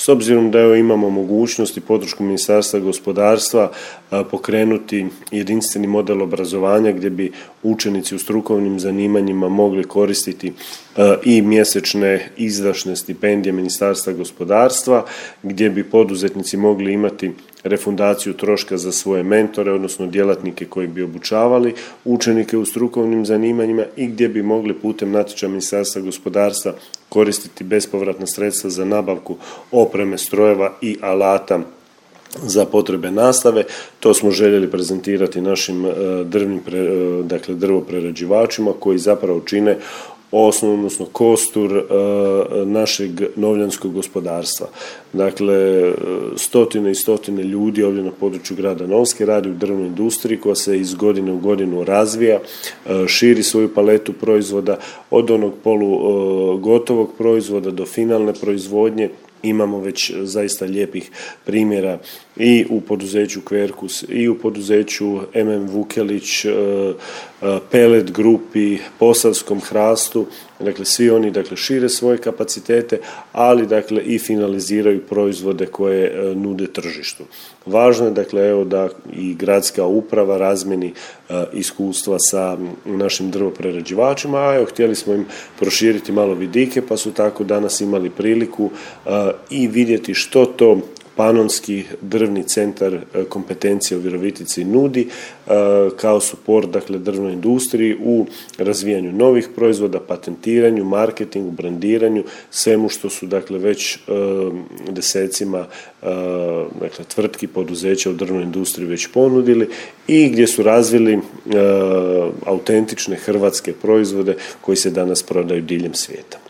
s obzirom da evo imamo mogućnost i podršku Ministarstva gospodarstva pokrenuti jedinstveni model obrazovanja gdje bi učenici u strukovnim zanimanjima mogli koristiti i mjesečne izdašne stipendije Ministarstva gospodarstva, gdje bi poduzetnici mogli imati refundaciju troška za svoje mentore odnosno djelatnike koji bi obučavali učenike u strukovnim zanimanjima i gdje bi mogli putem natječaja Ministarstva gospodarstva koristiti bespovratna sredstva za nabavku opreme, strojeva i alata za potrebe nastave. To smo željeli prezentirati našim drvoprerađivačima koji zapravo čine osnovu odnosno kostur našeg novljanskog gospodarstva. Dakle, stotine i stotine ljudi ovdje na području grada Novske radi u drvnoj industriji koja se iz godine u godinu razvija, širi svoju paletu proizvoda od onog polugotovog proizvoda do finalne proizvodnje. Imamo već zaista lijepih primjera i u poduzeću Quercus i u poduzeću MM Vukelić, Pellet Grupi, Posavskom hrastu, dakle svi oni šire svoje kapacitete, ali i finaliziraju proizvode koje nude tržištu. Važno je evo da i gradska uprava razmjeni iskustva sa našim drvoprerađivačima, a evo htjeli smo im proširiti malo vidike pa su tako danas imali priliku i vidjeti što to Panonski drvni centar kompetencije u Virovitici nudi kao suport drvnoj industriji u razvijanju novih proizvoda, patentiranju, marketingu, brandiranju, svemu što su već desecima tvrtki, poduzeća u drvnoj industriji već ponudili i gdje su razvili autentične hrvatske proizvode koji se danas prodaju diljem svijeta.